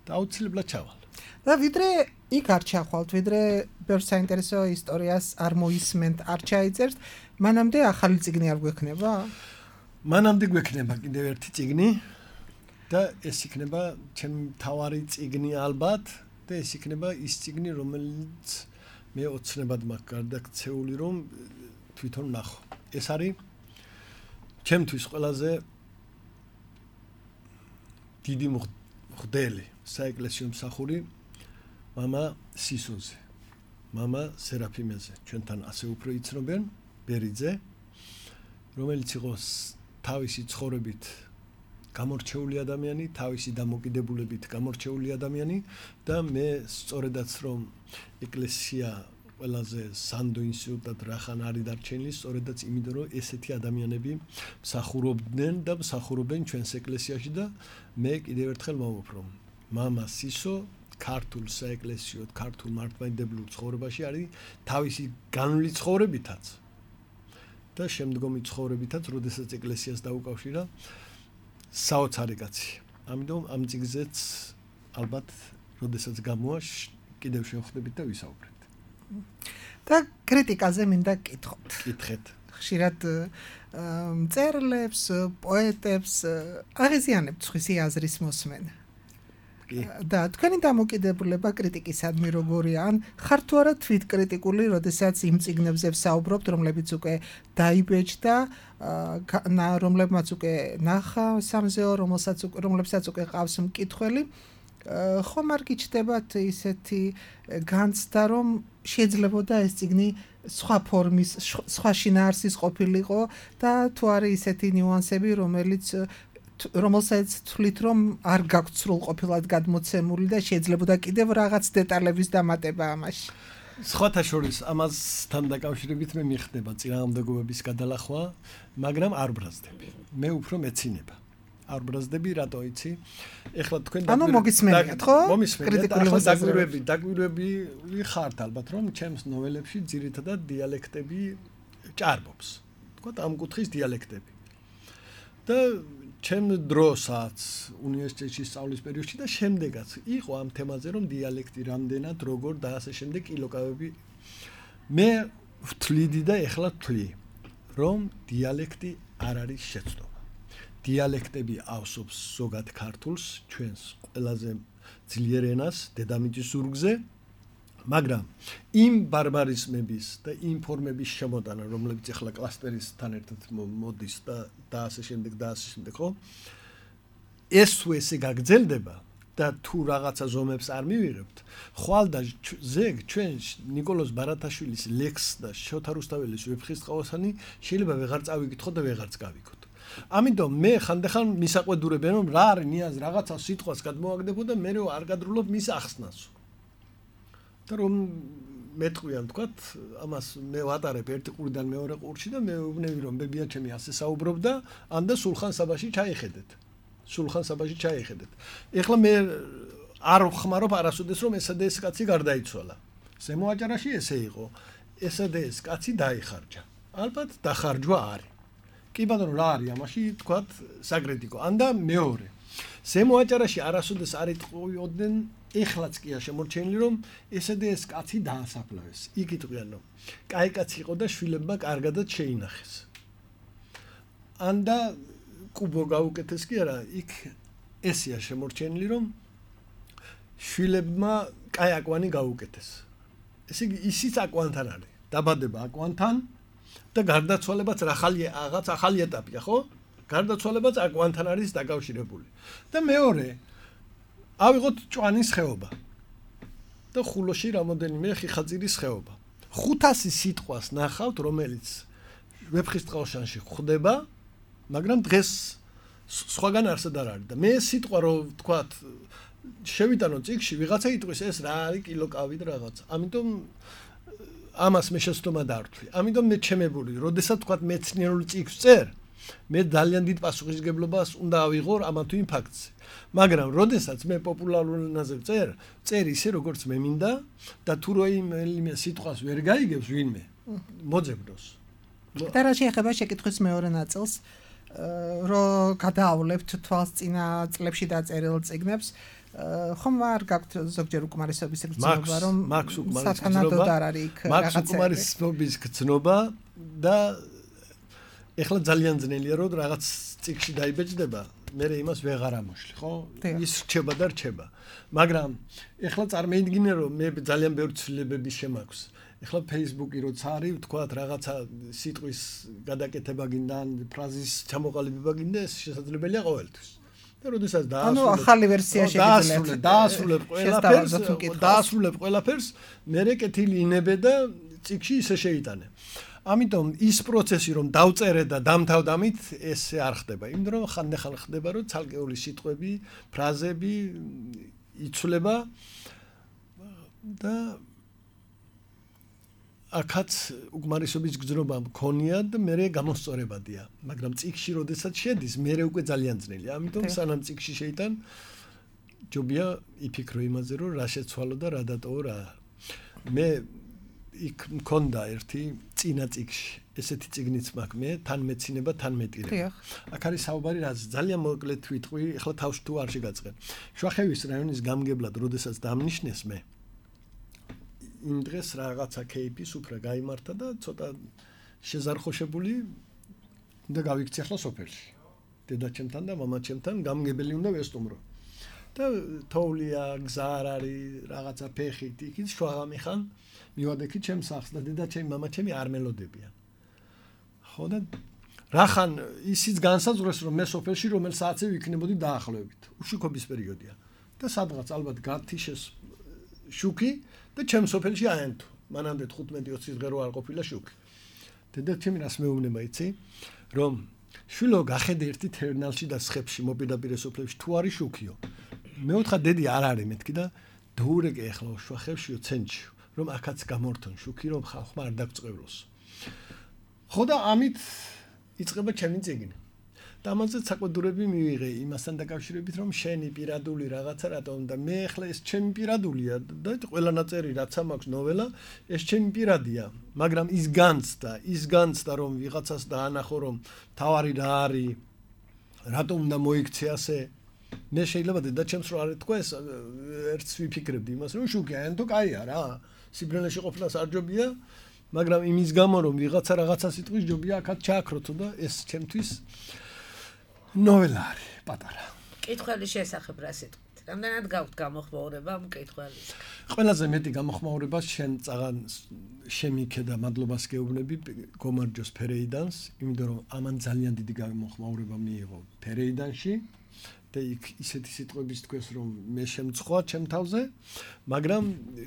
და აუცილებლად ჩავალ. და ვიდრე იქ არ ჩახვალთ, ვიდრე ბევრ საინტერესო ისტორიას არ მოისმენთ, არ ჩაიწერთ, მანამდე ახალი ციგნი არ გვექნება? მანამდე გვექნება კიდევ ერთი ციგნი და ეს იქნება ჩემი მთავარი ციგნი ალბათ და ეს იქნება ის ციგნი, რომელიც მე ოცნებად მაქვს გარდაქცეული, რომ თვითონ ნახო. ეს არის ჩემთვის ყველაზე დიდი მღვდელი საეკლესიო მსახური მამა სისოზე, მამა სერაფიმეზე, ჩვენთან ასე უფრო იცნობენ, ბერიძე, რომელიც იყო თავისი ცხოვრებით გამორჩეული ადამიანი, თავისი დამოკიდებულებით გამორჩეული ადამიანი და მე სწორედაც რომ ეკლესია ყველაზე სანდო ინსტიტუტად რახან არის დარჩენილი, სწორედაც იმიტომ რომ ესეთი ადამიანები მსახურობდნენ და მსახურობენ ჩვენს ეკლესიაში და მე კიდევ ერთხელ მოვუპრო. მამა სისო ქართულ საეკლესიო, ქართულ მართლმადიდებლურ ცხოვრებაში არის თავისი განვლილი ცხოვრებითაც და შემდგომი ცხოვრებითაც, როდესაც ეკლესიას დაუკავშირა საოცარი კაცი. ამიტომ ამ ციგზეც ალბათ როდესაც გამოვა კიდევ შევხვდებით და ვისაუბრეთ. და კრიტიკაზე მინდა გკითხოთ. კითხეთ. ხშირად მწერლებს, პოეტებს აღიზიანებთ სხვისი აზრის მოსმენა. და თქვენი დამოკიდებულება კრიტიკისადმი როგორია? ან ხარ თუ არა თვითკრიტიკული, როდესაც იმ წიგნებზე ვსაუბრობთ, რომლებიც უკვე დაიბეჭდა, რომლებმაც უკვე ნახა სამზეო, რომლებსაც უკვე ყავს მკითხველი, ხომ არ გიჩნდებათ ისეთი განცდა, რომ შეიძლებოდა ეს წიგნი სხვა ფორმის, სხვა შინაარსის ყოფილიყო და თუ არის ისეთი ნიუანსები, რომელსაც თვლით, რომ არ გაქვთ სრულყოფილად გადმოცემული და შეიძლებოდა კიდევ რაღაც დეტალების დამატება ამაში. სხვათა შორის ამასთან დაკავშირებით მე მიხდება წინააღმდეგობების გადალახვა, მაგრამ არ ბრაზდები. მე უფრო მეცინება. არ ბრაზდები, რატო იცი? ეხლა თქვენ მოგისმენთ, ხო? მომისმენთ. დაგვირვები ხართ ალბათ, რომ ჩემს ნოველებში ძირითადად დიალექტები ჭარბობს. თქვა ამ კუთხის დიალექტები. და ჩემ დროსაც უნივერსიტეტში სწავლის პერიოდში და შემდეგაც იყო ამ თემაზე, რომ დიალექტი რამდენად, როგორ და ასე შემდეგ ილოკავები. მე ვთვლიდი და ეხლა ვთვლი, რომ დიალექტი არ არის შეცდომა. დიალექტები ავსობს ზოგად ქართულს, ჩვენს ყველაზე ძლიერ ენას, დედამიწის ზურგზე, მაგრამ იმ ბარბარიზმების და იმ ფორმების შემოტანა, რომლებიც ახლა კლასტერისთან ერთად მოდის და ასე შემდეგ, ხო? ეს თუ ესე გაგრძელდება და თუ რაღაცა ზომებს არ მივიღებთ, ხვალ და ზეგ ჩვენ ნიკოლოზ ბარათაშვილის ლექს და შოთა რუსთაველის ვეფხისტყაოსანი შეიძლება ვეღარ წავიკითხოთ და ვეღარც გავიქოთ. ამიტომ მე ხანდახან მისაყვედურებენ, რომ რა არის ნიაზ რაღაცა სიტყვას გადმოაგდებო და მე არ გადრულობ მის ახსნას. და რომ მეტყვიან თქვათ, ამას მე ვატარებ ერთი ყურიდან მეორე ყურში და მე ვუბნები, რომ ბებია ჩემი ასე საუბრობდა, ან და სულხან საბაში ჩაიხედეთ. ეხლა მე არ ვხმარობ არასოდეს, რომ ესა და ეს კაცი გარდაიცვალა. ზემო აჭარაში ესე იყო. ესა და ეს კაცი დაიხარჯა. ალბათ დახარჯვა არის. კი ბატონო, რა არის ამაში, თქვათ, საკრიტიკო. ან და მეორე. ზემო აჭარაში არასოდეს არ იტყუიოდნენ, ეხლაც კი შემორჩენილი, რომ ესე და ეს კაცი დაასაფლავეს. იქ იტყვიან, რომ კაი კაცი იყო და შვილებმა კარგადაც შეინახეს. ან და კუბო გაუკეთეს კი არა, იქ ესეა შემორჩენილი, რომ შვილებმა კაი აკვანი გაუკეთეს. ესე იგი, ისიც აკვანთან არის. დაბადება აკვანთან და გარდაცვალებაც რაღაც ახალი ეტაპია, ხო? გარდაცვალებაც აკვანთან არის დაკავშირებული. და მეორე, ავიღოთ ჭვანის ხეობა. და ხულოში რამოდენიმე ხიხაძირის ხეობა. 500 სიტყვას ნახავთ, რომელიც ვეფხისტყაოსანში ხდება, მაგრამ დღეს სხვაგან არსად არ არის. და მე სიტყვა რომ ვთქვათ, შევიტანო წიგში, ვიღაცა იტყვის ეს რა არის კილოკავი და რაღაცა. ამიტომ ამას მე შეცდომა დავთვლი. ამიტომ მე ჩემებული, როდესაც თქვათ მეცნიერულ წიგს წერ, მე ძალიან დიდ პასუხისგებლობას უნდა ავიღო ამა თუ იმ ფაქტზე. მაგრამ როდესაც მე პოპულარულ ენაზე წერ ისე როგორც მე მინდა და თუ რომელიმე სიტყვას ვერ გაიგებს ვინმე, მოძებნოს. და რა შეეხება შეკითხვის მეორე ნაწილს, რომ გადაავლებთ თვალსწინა წლებში დაწერილ წიგნებს, ხომ არ გაქვთ ზოგჯერ უკმარისობის გრძნობა, რომ სათანადოდ არ არის იქ რაღაცა უკმარისობის გრძნობა და ეხლა ძალიან ძნელია რომ რაღაც წიგში დაიბეჭდება, მე იმას ვეღარ ამოშლი, ხო? ის რჩება და რჩება. მაგრამ ეხლა წარმოიდგინე რომ მე ძალიან ბევრი ცვლილებები შემაქვს. ეხლა Facebook-ი როცა არის, ვთქვათ, რაღაცა სიტყვის გადაკეთება გინდა, ფრაზის ჩამოყალიბება გინდა, ეს შესაძლებელია ყოველთვის. და როდესაც ახალი ვერსია შეგიძლიათ. დაასრულებ ყველაფერს, მერე კეთილი ინებე და წიგში ისე შეიტანე. ამიტომ ის პროცესი რომ დავწერე და დამთავდამით ესე არ ხდება. იმიტომ რომ ხანდახან ხდება რომ ცალკეული სიტყვები, ფრაზები იცვლება და აქაც უკმარისობის გრძნობა მქონია და მე გამოსწორებადია. მაგრამ წიგში როდესაც შედის, მე უკვე ძალიან ძნელია. ამიტომ სანამ წიგში შეიტან, ჯობია იფიქრო იმაზე რომ რა შეცვალო და რა დატოვო რა. მე იქ მქონდა ერთი წინა წიგში, ესეთი წიგნიც მაქვს მე, თან მეცინება, თან მეტირება. აქ არის საუბარი რაც ძალიან მოკლედ ვიტყვი, ეხლა თავს თუ არ შეგაწყენ. შუახევის რაიონის გამგებლად, როდესაც დამნიშნეს მე, იმ დღეს რაღაცა кейპი სუფრა გაიმართა და ცოტა შეზარხოშებული და გავიქცე ახლა სოფელში. დედაჩემთან და მამაჩემთან გამგებელი უნდა ვესტუმრო. და თოვლია, გზა არ არის, რაღაცა ფეხით, იქით შვაღამი ხან მივადექი ჩემს სახლს და დედაჩემი, მამაჩემი არ მელოდებიან. ხო და რახან ისიც განსაზღვრეს რომ მე სოფელში რომელ საათზე ვიქნებოდი დაახლოებით. უშუქობის პერიოდია. და სადღაც ალბათ გათიშეს შუქი და ჩემ სოფელში აენთო. მანამდე 15-20 დღე რო არ ყოფილა შუქი. დედაჩემი რას მეუბნება იცი? რომ შვილო გახედე ერთი თერნალში და სხებში მოპირდაპირე სოფლებში თუ არის შუქიო. მე ვთქვა დედი არ არის მეთქი და დოურეკე ახლა შვახებშიო ცენტრში რომ აქაც გამორთონ შუქი რომ ხალხმა არ დაგწყევლოს. ხო და ამით იწყება ჩემი წიგნი. და ამაზე საკვედურები მივიღე იმასთან დაკავშირებით რომ შენი პირადული რაღაცა რატომ და მე ახლა ეს ჩემი პირადულია და ყველა ნაწერი რაც მაქვს ნოველა ეს ჩემი პირადია მაგრამ ის განცდა რომ ვიღაცას დაანახო რომ თავარი რა არის რატომ უნდა მოიქცე ასე მე შეიძლება დედაჩემს რო არ ეთქვა ეს ერთს ვიფიქრებდი იმას რომ შუქია ენთო კაია რა სიბრელეში ყოფნას არ ჯობია მაგრამ იმის გამო რომ ვიღაცა რაღაცას იტყვის ჯობია აქაც ჩააქროთო და ეს ჩემთვის ნოველა არის პატარა. კითხველის შესახებ რა სიტყვით? რამდენად გაქვთ გამოხმაურება მკითხველის? ყველაზე მეტი გამოხმაურება შენ წაღან შემიქე და მადლობას გეუბნები გომარჯოს ფერეიდანს, იმიტომ რომ ამან ძალიან დიდი გამოხმაურება მიიღო ფერეიდანში და იქ ისეთი სიტყვების თქვეს რომ მე შემწხვა ჩემ თავზე, მაგრამ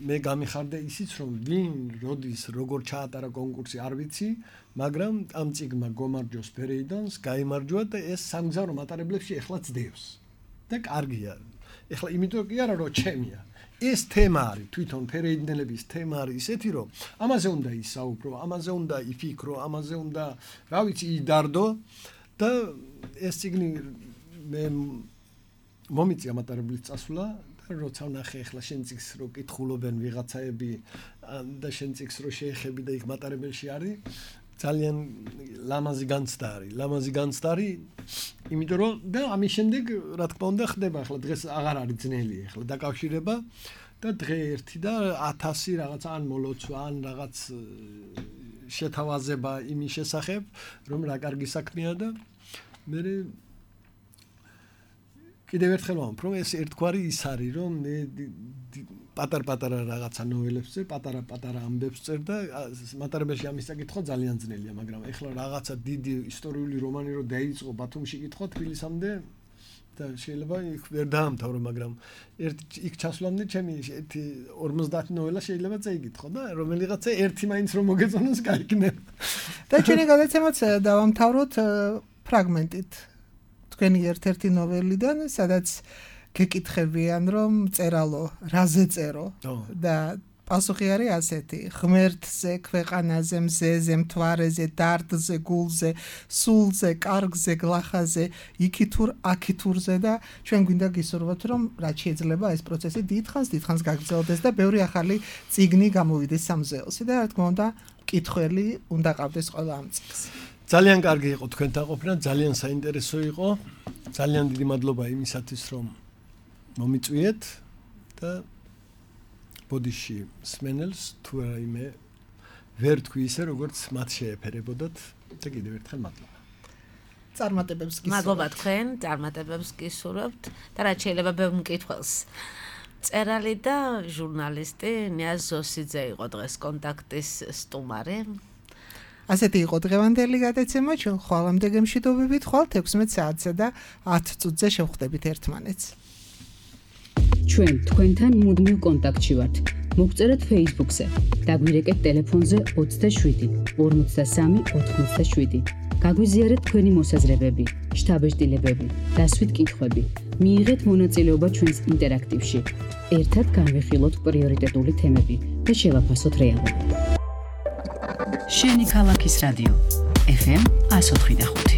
მე გამიხარდა ისიც რომ ვინ როდის როგორ ჩაატარა კონკურსი არ ვიცი, მაგრამ ამ წიგნმა გომარჯოს ფერეიდანს გაიმარჯვა და ეს სამგზავრო მატარებლებში ეხლა ძდევს. და კარგია. ეხლა იმიტომ კი არა რომ ჩემია. ეს თემა არის თვითონ ფერეიდნელების თემა არის ისეთი რომ ამაზე უნდა ისაუბრო, ამაზე უნდა იფიქრო, ამაზე უნდა რა ვიცი იდარდო და ეს წიგნი მე მომიწია მატარებლის წასვლა და როცა ვნახე ახლა შენ წიგს რო კითხულობენ ვიღაცაები და შენ წიგს რო შეეხები და იქ მატარებელში არის ძალიან ლამაზი განცდა არის იმიტომ რომ და ამის შემდეგ რა თქმა უნდა ხდება ახლა დღეს აღარ არის ძნელი ახლა დაკავშირება და დღე ერთი და 1000 რაღაცა ან მოლოცვა ან რაღაც შეთავაზება იმის შესახებ რომ რა კარგი საქმეა და მე კიდევ ერთხელ ვამბობ, რომ ეს ერთგვარი ის არის, რომ მე პატარ-პატარა რაღაცა ნოველებს წერ, პატარა ამბებს წერ და მატარებელში ამის წაკითხვა ძალიან ძნელია, მაგრამ ეხლა რაღაცა დიდი ისტორიული რომანი რო დაიწყო ბათუმში კითხვა თბილისამდე და შეიძლება იქ ვერ დაამთავრო, მაგრამ იქ ჩასვლამდე ჩემი 50 ნოველა შეიძლება წაიკითხო და რომელიღაცა ერთი მაინც რომ მოგეწონოს გაიქნება. და ჩვენი გადაცემაც დავამთავროთ ფრაგმენტით. თქვენი ერთ-ერთი ნოველიდან, სადაც გეკითხებიან, რომ წერალო, რაზე წერო და პასუხი არის ასეთი: ღმერთზე, ქვეყანაზე, მზეზე, მთვარეზე, დარდზე, გულზე, სულზე, კარგზე, გლახაზე, იქითურ, აქითურზე და ჩვენ გვინდა გისურვოთ, რომ რაც შეიძლება ეს პროცესი დიდხანს გაგრძელდეს და ბევრი ახალი წიგნი გამოვიდეს სამზეელში და რა თქმა უნდა, მკითხველი უნდა ყავდეს ყველა ამ წიგნს. ძალიან კარგი იყო თქვენთან ყოფნა, ძალიან საინტერესო იყო. ძალიან დიდი მადლობა იმისათვის, რომ მომიწვიეთ და ბოდიში სმენელს თუ რაიმე ვერ თქვი ისე, როგორც მათ შეეფერებოდათ და კიდევ ერთხელ მადლობა. წარმატებებს გისურვებთ. მადლობა თქვენ, წარმატებებს გისურვებთ და რაც შეიძლება ბევრ მკითხველს. წერალი და ჟურნალისტი ნიაზ ზოსიძე იყო დღეს კონტაქტის სტუმარი. ასეთი იყო დღევანდელი გადაცემა, ჩვენ ხვალამდე გემშვიდობებით, ხვალ 16 საათზე და 10 წუთზე შევხვდებით ერთმანეთს. ჩვენ თქვენთან მუდმივ კონტაქტში ვართ. მოგწერეთ Facebook-ზე, დაგვირეკეთ ტელეფონზე 27 53 87. გაგვიზიარეთ თქვენი მოსაზრებები, შთაბეჭდილებები, დასვით კითხვები. მიიღეთ მონაწილეობა ჩვენს ინტერაქტივში. ერთად განვიხილოთ პრიორიტეტული თემები და შევაფასოთ რეალობა. შენი ქალაქის რადიო FM 104.5